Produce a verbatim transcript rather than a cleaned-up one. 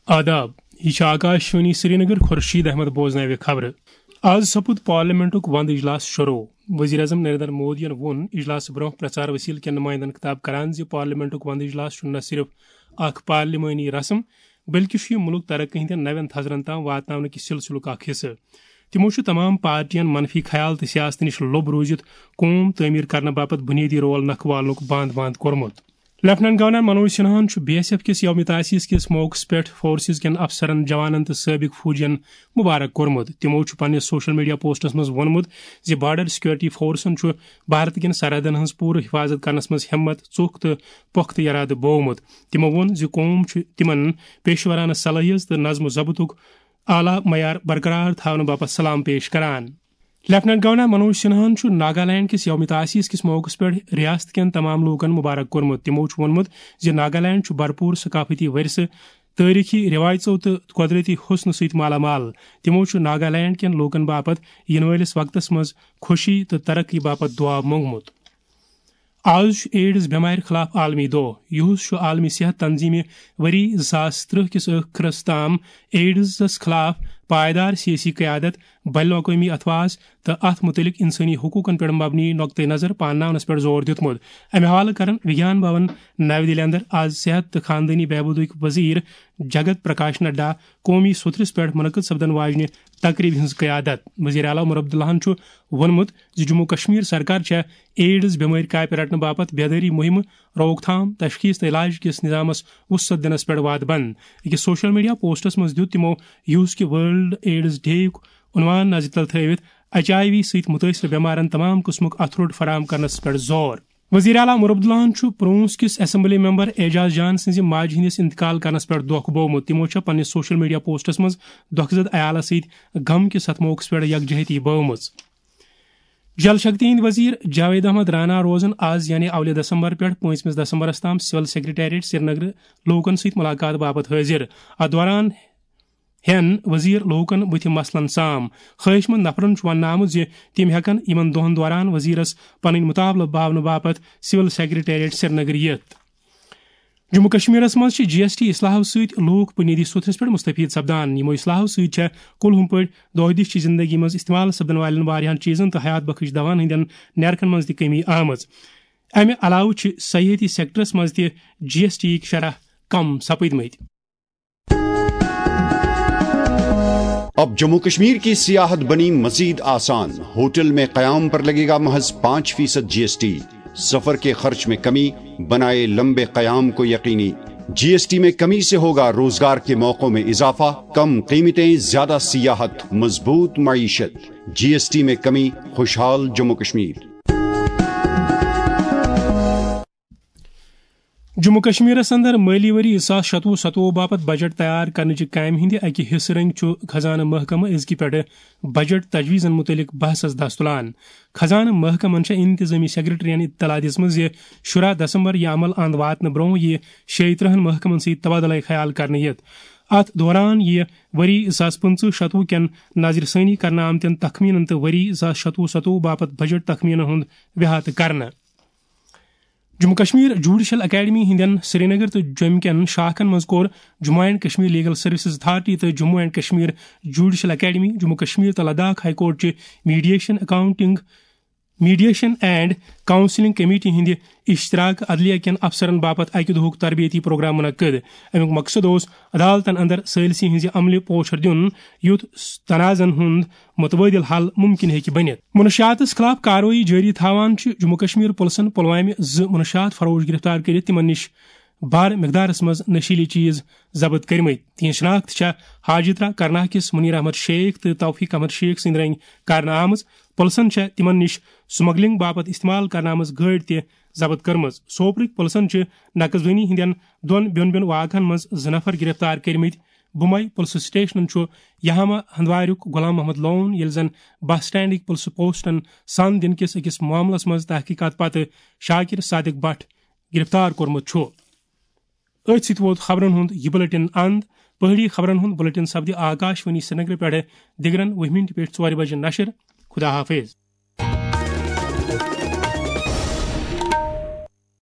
آداب، یہِ چھِ آکاشوانی سرینگر۔ خورشید احمد بوزناوِ خبرٕ۔ آز سپُد پارلیمنٹُک وند اجلاس شروع۔ وزیر اعظم نریندر مودیَن ووٚن اجلاسہٕ برونٛہہ پرچار وسیلہٕ کٮ۪ن نمائندن خطاب کران زِ پارلیمنٹُک وند اجلاس چھُ نہ صرف اکھ پارلیمانی رسم، بلکہِ چھُ یہِ مُلک ترقی ہٕنٛدٮ۪ن نوٮ۪ن تھزرن تام واتناونہٕ کہِ سلسلُک اکھ حصہٕ۔ تِمو چھُ تمام پارٹین منفی خیال تہٕ سیاست نِش لوٚب روٗزِتھ قوم تعمیٖر کرنہٕ باپتھ بُنیٲدی رول نکھٕ والنُک بانٛد بانٛد کوٚرمُت۔ لیفٹیننٹ گورنر منوج سنہاہن چھُ بی ایس ایف کِس یوم تاسیس کِس موقعس پٮ۪ٹھ فورسز کٮ۪ن افسرن، جوانن تہٕ سٲبق فوجین مبارک کوٚرمُت۔ تِمو چھُ پننِس سوشل میڈیا پوسٹس منٛز ووٚنمُت زِ بارڈر سیکورٹی فورسن چھُ بھارت کٮ۪ن سرحدن ہٕنٛز پوٗرٕ حفاظت کرنس منٛز ہمت، ژوٚک تہٕ پۄختہٕ ارادٕ بوومُت۔ تِمو ووٚن زِ قوم چھُ تِمن پیشورانہٕ صلٲحیت تہٕ نظم و ضبطُک اعلیٰ معیار برقرار تھاونہٕ باپتھ سلام پیش کران۔ لیفٹیننٹ گورنر منوج سنہاہن چھُ ناگالینڈ کِس یوم تاسیس کِس موقعس پٮ۪ٹھ ریاست کٮ۪ن تمام لوٗکن مبارک کوٚرمُت۔ تِمو چھُ ووٚنمُت زِ ناگالینڈ چھُ بھرپوٗر ثقافتی ورثہٕ، تٲریخی رٮ۪وایژو تہٕ قۄدرٔتی حُسنہٕ سۭتۍ مالا مال۔ تِمو چھُ ناگالینڈ کٮ۪ن لوٗکن باپتھ یِنہٕ وٲلِس وقتس منٛز خوشی تہٕ ترقی باپتھ دُعا موٚنگمُت۔ آز چھُ ایڈز بٮ۪مارِ خلاف عالمی دۄہ۔ یُہُس چھُ عالمی صحت تنظیمہِ ؤری زٕ ساس ترٕٛہ کِس ٲخرس تام ایڈزس خلاف پائیدار سیٲسی قیادت، بین الاقوٲمی اتھواز تہٕ اتھ مُتعلق انسٲنی حقوقن پٮ۪ٹھ مبنی نقطہٕ نظر پانناونس پٮ۪ٹھ زور دیُتمُت۔ امہِ حوالہٕ کرن وگیان بھون نَوِ دِلہِ اندر آز صحت تہٕ خاندٲنی بہبودٕکۍ وزیر جگت پرکاش نڈا قومی سترس پٮ۪ٹھ منعقد سپدن واجنہِ تقریبہِ ہٕنٛز قیادت۔ وزیر اعلیٰ عمر عبداللہن چھُ ووٚنمُت زِ جموں کشمیر سرکار چھےٚ ایڈز بٮ۪مٲرۍ کاپہِ رٹنہٕ باپتھ بیدٲری مُہِمہٕ، روک تھام، تشخیص تہٕ علاج کِس نظامس وسعت دِنس پٮ۪ٹھ وعدٕ بنٛد۔ أکِس سوشل میڈیا پوسٹس منٛز دیُت تِمو یُہُس کہِ ورلڈ ایڈز ڈے یُک عنوان نظرِ تل تھٲوِتھ ایچ آئی وی سۭتۍ مُتٲثر بٮ۪مارن تمام قٕسمُک اتھٕ روٚٹ فراہم کرنس پٮ۪ٹھ زور۔ وزیر اعلیٰ عمر عبداللہن چھُ پرونس کِس اسمبلی ممبر اعجاز جان سٕنٛزِ ماجہِ ہٕنٛدِس انتقال کرنس پٮ۪ٹھ دۄکھ بوومُت۔ تِمو چھےٚ پننِس سوشل میڈیا پوسٹس منٛز دۄکھٕ زد عیالس سۭتۍ غم کِس اتھ موقعس پٮ۪ٹھ یکجہتی بٲومٕژ۔ جل شکتی ہٕنٛدۍ وزیر جاوید احمد رانا روزن آز یعنی اولہِ دسمبر پٮ۪ٹھ پٲنٛژمِس دسمبرس تام سول سیکرٹریٹ سرینگر لوٗکن سۭتۍ ملاقات باپتھ حٲضِر۔ اتھ دوران ہٮ۪ن وزیر لوٗکن بُتھِ مسلن سام۔ خٲہِش مند نفرن چھُ وننہٕ آمُت زِ تِم ہٮ۪کن یِمن دۄہن دوران وزیرس پنٕنۍ مُطالبہٕ باونہٕ باپتھ سول سیکرٹریٹ سرینگر یِتھ۔ جموں کشمیرس منٛز چھِ جی ایس ٹی اصلاحو سۭتۍ لوٗکھ بُنیٲدی سطحس پٮ۪ٹھ مستفید سپدان۔ یِمو اصلاحو سۭتۍ چھےٚ کُلہُم پٲٹھۍ دۄہ دِش چہِ زندگی منٛز استعمال سپدن والٮ۪ن واریاہن چیزن تہٕ حیات بخش دوہن ہٕنٛدٮ۪ن نیرخن منٛز تہِ کمی آمٕژ۔ امہِ علاوٕ چھِ سیاحتی سیکٹرس منٛز تہِ جی ایس ٹی یِکۍ شرح کم سپٕدمٕتۍ۔ اب جموں کشمیر کی سیاحت بنی مزید آسان، ہوٹل میں قیام پر لگے گا محض پانچ فیصد جی ایس ٹی، سفر کے خرچ میں کمی، بنائے لمبے قیام کو یقینی۔ جی ایس ٹی میں کمی سے ہوگا روزگار کے موقعوں میں اضافہ، کم قیمتیں، زیادہ سیاحت، مضبوط معیشت۔ جی ایس ٹی میں کمی، خوشحال جموں کشمیر۔ جموں کشمیرس اندر مٲلی ؤری زٕ ساس شتوُہ ستوُہ باپتھ بجٹ تیار کرنٕچہِ کامہِ ہٕنٛدِ اکہِ حصہٕ رنگۍ چھُ خزانہٕ محکمہٕ أزکہِ پٮ۪ٹھٕ بجٹ تجویزن مُتعلق بحثس دس تُلان۔ خزانہٕ محکمن چھےٚ انتظامی سیکرٹریَن اطلاع دِژمٕژ زِ شُراہ دسمبر یہِ عمل اند واتنہٕ برونٛہہ یِیہِ شیٚیہِ ترٕٛہن محکمن سۭتۍ تبادلہٕ خیال کرنہٕ یِتھ۔ اتھ دوران یِیہِ ؤری زٕ ساس پٕنٛژٕہ شتوُہ کٮ۪ن نظرِ ثٲنی کرنہٕ آمتٮ۪ن تخمینن تہٕ ؤری زٕ ساس شتوُہ ستوُہ باپتھ بجٹ تخمینن ہُنٛد احاطہٕ کرنہٕ۔ جموں کشمیر جوڈیشل اکیڈمی ہٕنٛدٮ۪ن سرینگر تہٕ جوٚمہِ کٮ۪ن شاخن منٛز کوٚر Jammu and Kashmir legal services authority تہٕ Jammu and Kashmir judicial academy, Jammu Kashmir تہٕ لداخ ہائی کورٹ چہِ mediation accounting, mediation and counselling committee ہٕنٛدِ اشتراک عدلیہ کٮ۪ن افسرن باپتھ اکہِ دۄہُک تربیتی پروگرام منعقد۔ امیُک مقصد اوس عدالتن اندر ثٲلثی ہٕنٛزِ عملہِ پوچھر دیُن، یُتھ تنازعن ہُنٛد متبادل حل ممکن ہیٚکہِ بٔنِتھ۔ منشیاتس خلاف کاروٲیی جٲری تھاوان چھِ جموں کشمیر پُلسن پلوامہِ زٕ منشیات فروش گرفتار کٔرِتھ تِمن نِش بھر مقدارس منٛز نشیلی چیز ضبط کٔرمٕتۍ۔ تِہنٛز شناخت چھےٚ حاجترا کرناہ کِس منیر احمد شیخ تہٕ توفیق احمد شیخ سٕنٛدِ رنگۍ کرنہٕ آمٕژ۔ پُلسن چھےٚ تِمن نِش سمگلنگ باپتھ استعمال کرنہٕ آمٕژ گٲڑۍ تہِ ضبط کٔرمٕژ۔ سوپرٕکۍ پُلسن چھِ نقد زٲنی ہٕنٛدٮ۪ن دۄن بیوٚن بیوٚن واقعن منٛز زٕ نفر گرفتار کٔرمٕتۍ۔ بُمے پُلسہٕ سٹیشنن چھُ یہامہ ہندواریُک غلام محمد لون، ییٚلہِ زن بس سٹینڈٕکۍ پُلسہٕ پوسٹن سن دِنہٕ کِس أکِس معاملس منٛز تحقیقات پتہٕ شاکر صادق بٹ گرفتار کوٚرمُت چھُ۔ أتھۍ سۭتۍ ووت خبرن ہُنٛد یہِ بلیٹن اند۔ پہٲڑی خبرن ہُنٛد بلیٹن سپدِ آکاش وانی سرینگرٕ پٮ۪ٹھٕ دِگرن وُہہِ مِنٹہِ پٮ۪ٹھ ژورِ بجہِ نشر۔ خدا حافظ۔